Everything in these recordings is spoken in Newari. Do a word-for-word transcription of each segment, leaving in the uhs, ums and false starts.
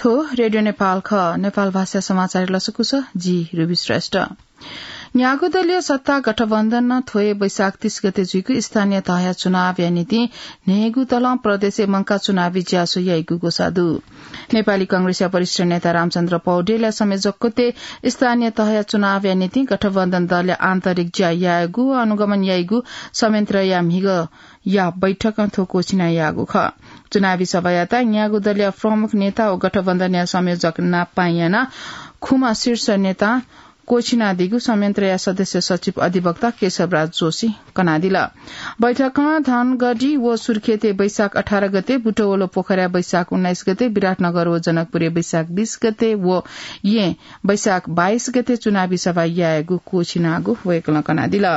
रेडियो नेपाल खः। नेपाल भाषा समाचार लसकुस, जि रुबी श्रेष्ठ। न्यागू दलीय सत्ता गठबन्धन नं थ्व हे वैशाख तीस गते जुइगु स्थानीय तहया चुनावया निंतिं न्हय्गू तलं प्रदेशय् मंकाः चुनावी ज्यासो याइगु ग्वसाः दु। नेपाली कांग्रेसया वरिष्ठ नेता रामचन्द्र पौडेलया संयोजकत्वय् स्थानीय तहया चुनावया निंतिं गठबन्धन दलया आन्तरिक ज्या यायेगु व अनुगमन याइगु संयन्त्रया म्हिगया बैठकं थ्व क्वःछिना याःगु खः। चुनावी सभायात न्यागू दलया प्रमुख नेता व गठबन्धनया संयोजक नाप पायें यानाः खुम्ह शीर्ष नेतां क्वःछिनादीगु संयन्त्रया सदस्य सचिव अधिवक्ता केशवराज जोशी कनादिल। बैठकं धनगढी व सुर्खेतय् वैशाख अठार गते, बुटवल व पोखराय् वैशाख उन्नाइस गते, विराटनगर व जनकपुरय् वैशाख बीस गते व येँ वैशाख बाइस गते चुनावी सभा यायेगु क्वःछिनागु वय्कलं कनादिल।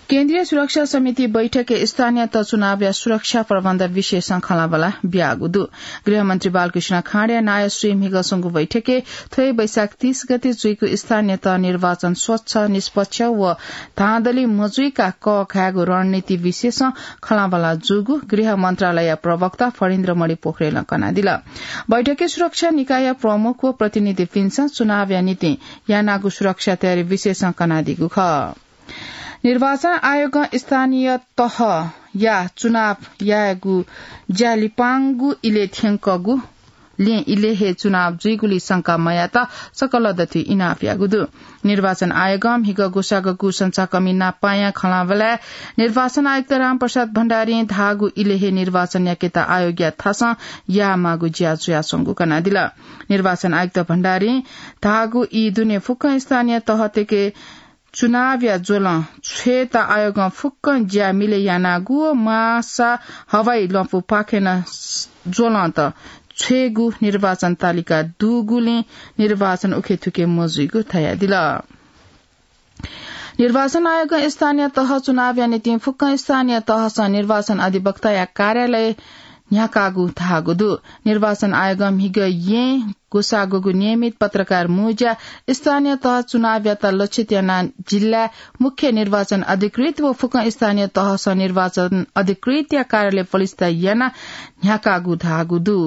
केन्द्रीय सुरक्षा समिति बैठकय् स्थानीय तह चुनावया सुरक्षा प्रबन्ध विषयसं खँल्हाबल्हा ब्याःगु दु। गृहमन्त्री बालकृष्ण खाँडया नायःश्रीइ म्हिगः स्वंगु बैठकय् थ्व हे वैशाख तीस गते जुइगु स्थानीय तह निर्वाचन स्वच्छ, निष्पक्ष व धाँधली मजुइका कःघायेगु रणनीति विषयसं खँल्हाबल्हा जूगु गृह मन्त्रालयया प्रवक्ता फणीन्द्रमणि पोखरेलं कनादिल। बैठकय् सुरक्षा निकायया प्रमुख व प्रतिनिधिपिन्सं चुनावया निंतिं यानागु सुरक्षा तयारी विषयसं कनादीगु खः। निर्वाचन आयोगं स्थानीय तहया चुनाव यायेगु ज्या लिपांगु इलय् थ्यंकगुलिं इलय् हे चुनाव जुइगुली शंका मयायेत सकल दथुइ इनाप याःगु दु। निर्वाचन आयोगं म्हिगः ग्वसाःगु संचाकमि नाप पायें खँल्हाबल्हाय् निर्वाचन आयुक्त रामप्रसाद भण्डारीं धाःगु इलय् हे निर्वाचन याकेत आयोगया थासं यायेमाःगु ज्या जुयाच्वंगु कनादिल। निर्वाचन आयुक्त भण्डारीं धाःगु ई दुने फुक्क स्थानीय तहतय्के चुनावया ज्वलं छ्वयेत आयोगं फुक्कं ज्या मिलय् यानागु व माःसा हवाई लँपुपाखें नं ज्वलंत छ्वयेगु निर्वाचन तालिका दुगुलिं निर्वाचन उखेथुखे मजुइगु धयादिल। निर्वाचन आयोगं स्थानीय तह चुनावया निंतिं फुक्कं स्थानीय तहसं निर्वाचन अधिवक्ताया कार्यालय न्ह्याकागु धाःगु दु। निर्वाचन आयोगं म्हिगः येँ ग्वसाःगु नियमित पत्रकार मुँज्या स्थानीय तह चुनावयात लक्षित यानाः जिल्ला मुख्य निर्वाचन अधिकृत व फुक्कं स्थानीय तहसं निर्वाचन अधिकृतया कार्यालय पलिस्था यानाः न्ह्याकागु धाःगु दु।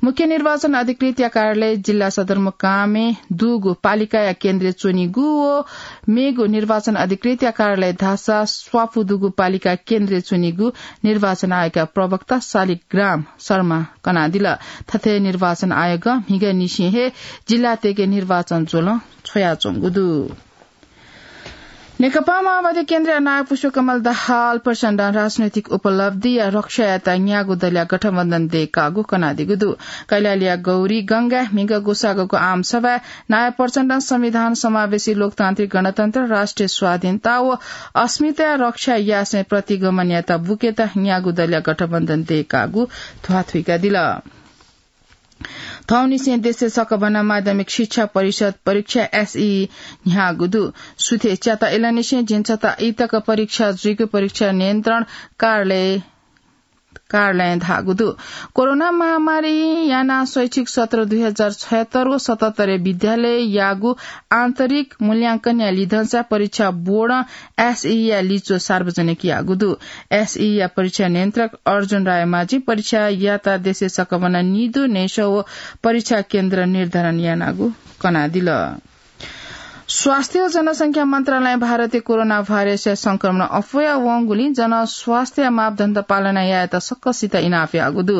मुख्य निर्वाचन अधिकृतया कार्यालय जिल्ला सदरमुकामय् दुगु पालिकाया केन्द्रय् च्वनीगु व मेगु निर्वाचन अधिकृतया कार्यालय धाःसा स्वापू दुगु पालिका केन्द्रय् च्वनीगु निर्वाचन आयोगया प्रवक्ता शालिग्राम शर्मां कनादिल। थथे निर्वाचन आयोगं म्हिगःनिसें हे जिल्लातय्के निर्वाचन ज्वलं छ्वयाच्वंगु दु। नेकपा माओवादी केन्द्रया नायः पुष्पकमल दाहाल प्रचण्डं राजनैतिक उपलब्धिया रक्षायात न्यागू दलया गठबन्धन दयेकागु कनादीगु दु। कैलालीया गौरीगंगाय् म्हिगः ग्वसाःगु आमसभाय् नायः प्रचण्डं संविधान, समावेशी लोकतान्त्रिक गणतन्त्र, राष्ट्रिय स्वाधीनता व अस्मिताया रक्षा यासें प्रतिगमन यायेत बुकेत न्यागू दलया गठबन्धन दयेकागु ध्वाथुइकादिल। थौंनिसें देशय् सकभनं माध्यमिक शिक्षा परिषद परीक्षा एसई न्ह्याःगु दु। सुथय् च्याता इलंनिसें झिंछता ई तक परीक्षा जुइगु परीक्षा नियन्त्रण कार्यालय, कार्यालयं धाःगु दु। कोरोना महामारी यानाः शैक्षिक सत्र दुई हजार छयत्तर व सतहत्तरय् विद्यालययागु आन्तरिक मूल्यांकनया लिधंसा परीक्षा बोर्डं एसईया लिच्वः सार्वजनिक याःगु दु। एसईया परीक्षा नियन्त्रक अर्जुन रायमाझीं परीक्षा याःसा देशय् सकभनं निदँ न्हय्सः व परीक्षा केन्द्र निर्धारण यानागु कनादिल। स्वास्थ्य व जनसंख्या मन्त्रालयं भारतय् कोरोना भाइरसया संक्रमण अप्वया वंगुलिं जनस्वास्थ्य मापदण्ड पालना यायेत सकसित इनाप याःगु दु।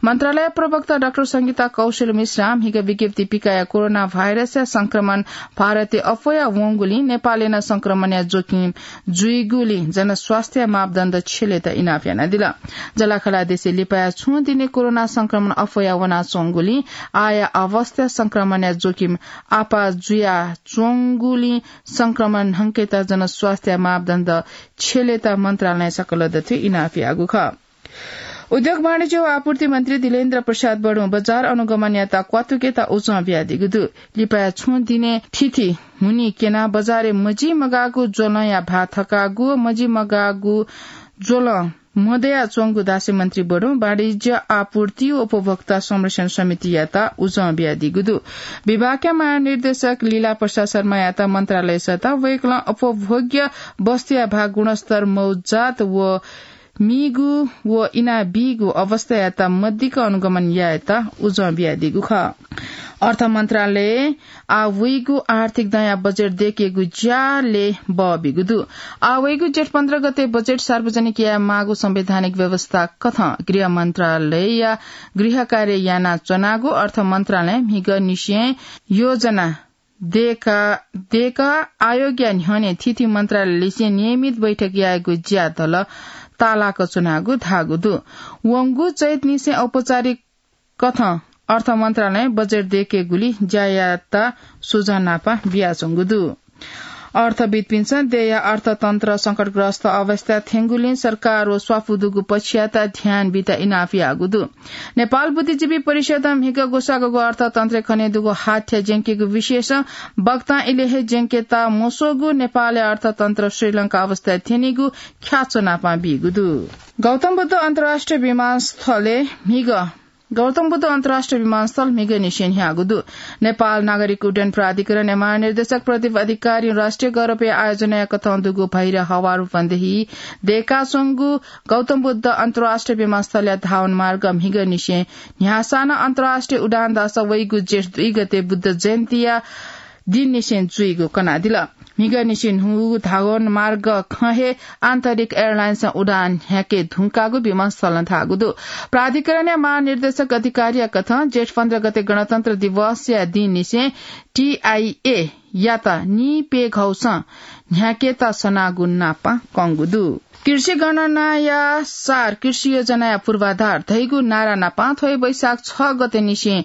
मन्त्रालय प्रवक्ता डाक्टर संगीता कौशल मिश्रां म्हिगः विज्ञप्ति पिकयाः कोरोना भाइरसया संक्रमण भारतय् अप्वया वंगुलिं नेपालय् नं संक्रमणया जोखिम जुइगुलिं जनस्वास्थ्य मापदण्ड छ्यलेत इनाप यानादिल। जःलाखःला देशय् लिपाया छुं दिनय् कोरोना संक्रमण अप्वया वनाच्वंगुलिं आःया अवस्थाय् संक्रमणया जोखिम आपाः जुयाच्वंगुलिं संक्रमण न्हंकेत जनस्वास्थ्य मापदण्ड छ्यलेत मन्त्रालयं सकल दथुइ इनाप याःगु खः। उद्योग वाणिज्य व आपूर्ति मन्त्री दिलेन्द्र प्रसाद बडुं बजार अनुगमनयात क्वातुकेत उजं बियादीगु दु। लिपाया छुं दिनय् थीथी हुनिं क्यनाः बजारय् मजिमगाःगु ज्वलंया भाः थकागु, मजिमगाःगु ज्वलं मदयाच्वंगु धासें मन्त्री बडुं वाणिज्य, आपूर्ति व उपभोक्ता संरक्षण समितियात उजं बियादीगु दु। विभागया महानिर्देशक लीला प्रसाद शर्मायात मन्त्रालय सःताः वय्कलं उपभोग्य वस्तुया भाः गुणस्तर मौज्यात व मीगु व इनाबीगु अवस्थायात मदिक्क अनुगमन यायेत उजं बियादीगु खः। अर्थ मन्त्रालयं आः वइगु आर्थिक दँया बजेट दयेकेगु ज्याय् बः बीगु दु। आः वइगु जेठ पन्ध्र गते बजेट सार्वजनिक याये माःगु संवैधानिक व्यवस्था कथं गृह मन्त्रालयया गृह कार्य यानाच्वनागु अर्थ मन्त्रालयं म्हिगःनिसें योजना दयेका, दयेकाः आयोगया न्ह्यःने थीथी मन्त्रालयलिसें नियमित बैठक यायेगु ज्या दल तालाक च्वनागु धाःगु दु। वंगु चैतनिसें औपचारिक कथं अर्थ मन्त्रालयं बजेट दयेकेगुली ज्यायात सुझाव नापं बियाच्वंगु दु। अर्थविद्पिन्सं देय्‌या अर्थतन्त्र संकटग्रस्त अवस्थाय् थ्यंगुलिं सरकार व स्वापू दुगु पक्षयात ध्यान बीत इनाप याःगु दु। नेपाल बुद्धिजीवी परिषदं म्हिगः ग्वसाःगु अर्थतन्त्रय् खनेदुगु हाथ्या ज्यंकेगु विषयसं वक्तां इलय् हे ज्यंकेत मस्वःगु नेपालया अर्थतन्त्र श्रीलंका अवस्थाय् थ्यनीगु ख्याच्वः नापं बीगु दु। गौतम बुद्ध अन्तर्राष्ट्रिय विमानस्थलय् म्हिगः गौतम बुद्ध अन्तर्राष्ट्रिय विमानस्थल म्हिगःनिसें न्ह्याःगु दु। नेपाल नागरिक उड्डयन प्राधिकरणया महानिर्देशक प्रदीप अधिकारीं राष्ट्रिय गौरवया आयोजनाया कथं दुगु भैरहवा रूपन्देही दयेकाच्वंगु गौतम बुद्ध अन्तर्राष्ट्रिय विमानस्थलया धावन मार्ग म्हिगःनिसें न्ह्याःसां नं अन्तर्राष्ट्रिय उडान धाःसा वइगु जेठ दुई गते बुद्ध जयन्तीया दिननिसें जुइगु कनादिल। म्हिगःनिसें न्हूगु धावन मार्ग खँ हे आन्तरिक एयरलाइन्सं उडान न्ह्याके धुंकाःगु विमानस्थलं धाःगु दु। प्राधिकरणया महानिर्देशक अधिकारीया कथं जेठ पन्ध्र गते गणतन्त्र दिवसया दिननिसें टीआईए यात निपेघौसं न्ह्याकेत सनागु नापं कंगु दु। कृषि गणनाया सार कृषि योजनाया पूर्वाधार धइगु नारा नापं थ्व हे वैशाख छ गतेनिसें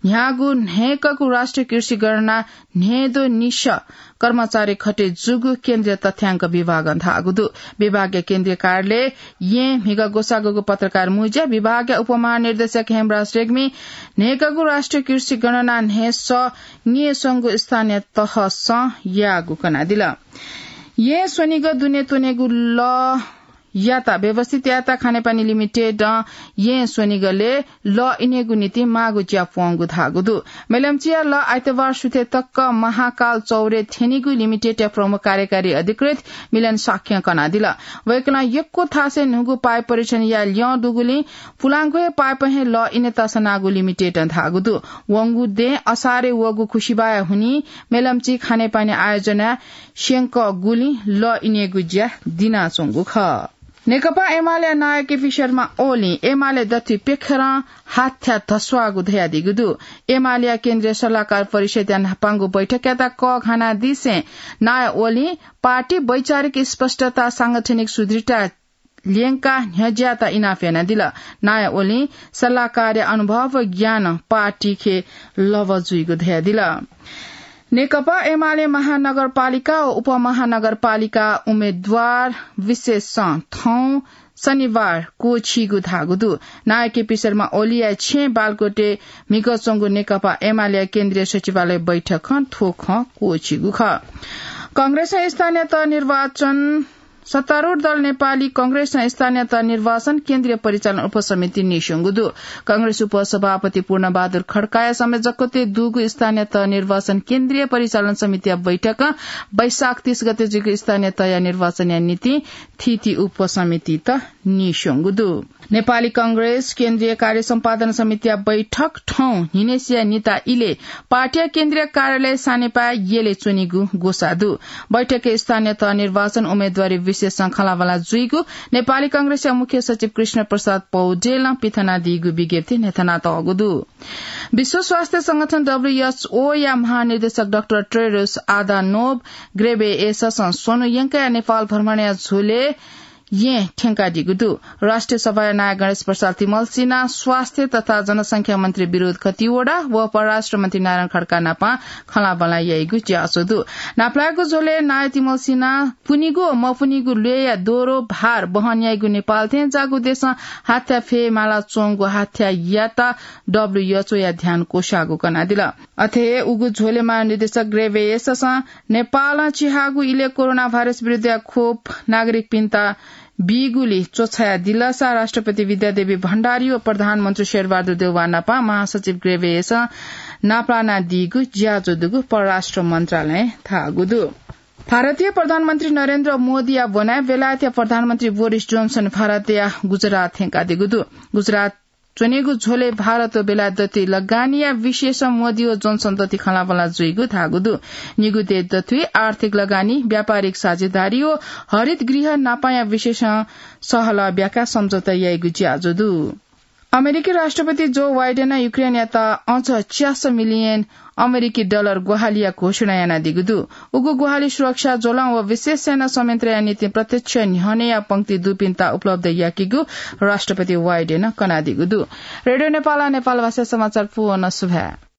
न्ह्याःगु न्हय्‌कःगु राष्ट्रिय कृषि गणना न्हय्‌द्वः निसः कर्मचारी खटे जूगु केन्द्रीय तथ्याङ्क विभागं धाःगु दु। विभागया केन्द्रीय कार्यालय येँ म्हिगः ग्वसाःगु पत्रकार मुँज्या विभागया उपमहानिर्देशक हेमराज रेग्मी न्हय्‌कःगु राष्ट्रिय कृषि गणना न्हय्‌सः न्येस्वंगु स्थानीय तहसं याःगु कनादिल। येँ स्वनिगः दुने त्वनेगु लः यात व्यवस्थित यायेत खानेपानी लिमिटेडं येँ स्वनिगलय् लः इनेगु निंतिं माःगु ज्या प्वंगु धाःगु दु। मेलम्चीया लः आइतबार सुथय् तक महाकाल चौरय् थ्यनीगु लिमिटेडया प्रमुख कार्यकारी अधिकृत मिलन शाक्यं कनादिल। वय्‌कलं यक्व थासय् न्हूगु पाइप परीक्षण याये ल्यं दुगुलिं पुलांगु हे पाइपं हे लः इनेत सनागु लिमिटेडं धाःगु दु। वंगु दँय् असारय् वःगु खुसिबाया हुनिं मेलम्ची खानेपानी आयोजनाय् स्यंकःगुलिं लः इनेगु ज्या दिनाच्वंगु खः। नेकपा एमालेया नायः केपी शर्मा ओलीं एमाले दथुइ प्यखेरं हाथ्या धस्वाःगु धयादीगु दु। एमालेया केन्द्रीय सल्लाहकार परिषदया न्हापांगु बैठकयात कःघानादिसें नायः ओलीं पार्टी वैचारिक स्पष्टता, सांगठनिक सुदृढता ल्यंकाः न्ह्यज्याःत इनाप यानादिल। नायः ओलीं सल्लाहकारया अनुभव व ज्ञानं पार्टीखे लभा जुइगु धयादिल। नेकपा एमाले महानगरपालिका व उपमहानगरपालिका उम्मेद्वार विशेषं थौं शनिबार क्वःछीगु धाःगु दु। नायः केपी शर्मा ओलीया छेँय् बालकोटय् म्हिगः च्वंगु नेकपा एमालेया केन्द्रीय सचिवालय बैठकं थ्व खँ क्वःछीगु खः। कांग्रेसं स्थानीय तह निर्वाचन सत्तारूढ दल नेपाली कांग्रेसं स्थानीय तह निर्वाचन केन्द्रीय परिचालन उपसमिति नीस्वंगु दु। कांग्रेस उपसभापति पूर्णबहादुर खड्काया संयोजकत्वय् दुगु स्थानीय तह निर्वाचन केन्द्रीय परिचालन समितिया बैठकं वैशाख तीस गते जुइगु स्थानीय तहया निर्वाचनया निंतिं थीथी उपसमितित नीस्वंगु दु। नेपाली कांग्रेस केन्द्रीय कार्य सम्पादन समितिया बैठक थौं न्हिनय्‌सिया निता इलय् पार्टीया केन्द्रीय कार्यालय सानेपाय् यलय् च्वनीगु ग्वसाः दु। बैठकय् स्थानीय तह निर्वाचन उम्मेद्वारी विशेषं खँल्हाबल्हा जुइगु नेपाली कांग्रेसया मुख्य सचिव कृष्ण प्रसाद पौडेलं पिथनादीगु विज्ञप्तिय् न्ह्यथनातःगु दु। विश्व स्वास्थ्य संगठन, डब्ल्यूएचओ, या महानिर्देशक डाक्टर टेड्रोस अधानोभ गेब्रेयेससं स्वन्हु यंकया नेपाल भ्रमणया झ्वलय् येँ थ्यंकादीगु दु। राष्ट्रिय सभाया नायः गणेश प्रसाद तिमल्सिनां स्वास्थ्य तथा जनसंख्या मन्त्री विनोद खतिवडा व परराष्ट्र मन्त्री नारायण खड्का नाप खँल्हाबल्हा याइगु ज्याझ्वः दु। नापलायेगु झ्वलय् नायः तिमल्सिनां पुनिगु व मपुनिगु ल्वय्‌या दोहोरो भार वहन याइगु नेपाल थें जाःगु देशं हाथ्या फयेमाला च्वंगु हाथ्यायात डब्ल्यूएचओया ध्यान क्वसाःगु कनादिल। अथे हे उगु झ्वलय् महानिर्देशक गेब्रेयेससं नेपालं चिहाःगु इलय् कोरोना भाइरस विरुद्धया खोप नागरिकपिन्त बीगुली च्वछायादिलसा राष्ट्रपति विद्यादेवी भण्डारी व प्रधानमन्त्री शेरबहादुर देउवा नाप महासचिव गेब्रेयेससं नापलानादीगु ज्याझ्वः दुगु परराष्ट्र मन्त्रालयं धाःगु दु। भारतीय प्रधानमन्त्री नरेन्द्र मोदीया ब्वनाय् बेलायतया प्रधानमन्त्री बोरिस जोनसन भारतया गुजरात थ्यंकादीगु दु। गुजरात च्वनेगु झ्वलय् भारत व बेलायत दथुइ लगानीया विषयसं मोदी व जोनसन दथुइ खँल्हाबल्हा जुइगु धाःगु दु। निगू देश दथुइ आर्थिक लगानी, व्यापारिक साझेदारी व हरित गृह नापाया विषयसं सहलह ब्याकाः सम्झौता याइगु ज्याझ्वः दु। अमेरिकी राष्ट्रपति जो वाइडेनं युक्रेनयात अझ च्यास मिलियन अमेरिकी डलर ग्वाहालिया घोषणा यानादीगु दु। उगु ग्वाहालि सुरक्षा ज्वलं व विशेष सेना संयन्त्रया निंतिं प्रत्यक्ष न्ह्यःनेया पंक्ति दुपिन्त उपलब्ध याकीगु राष्ट्रपति वाइडेनं कनादीगु दु। रेडियो नेपाल, नेपाल भाषा समाचार पूवं सुभाय्।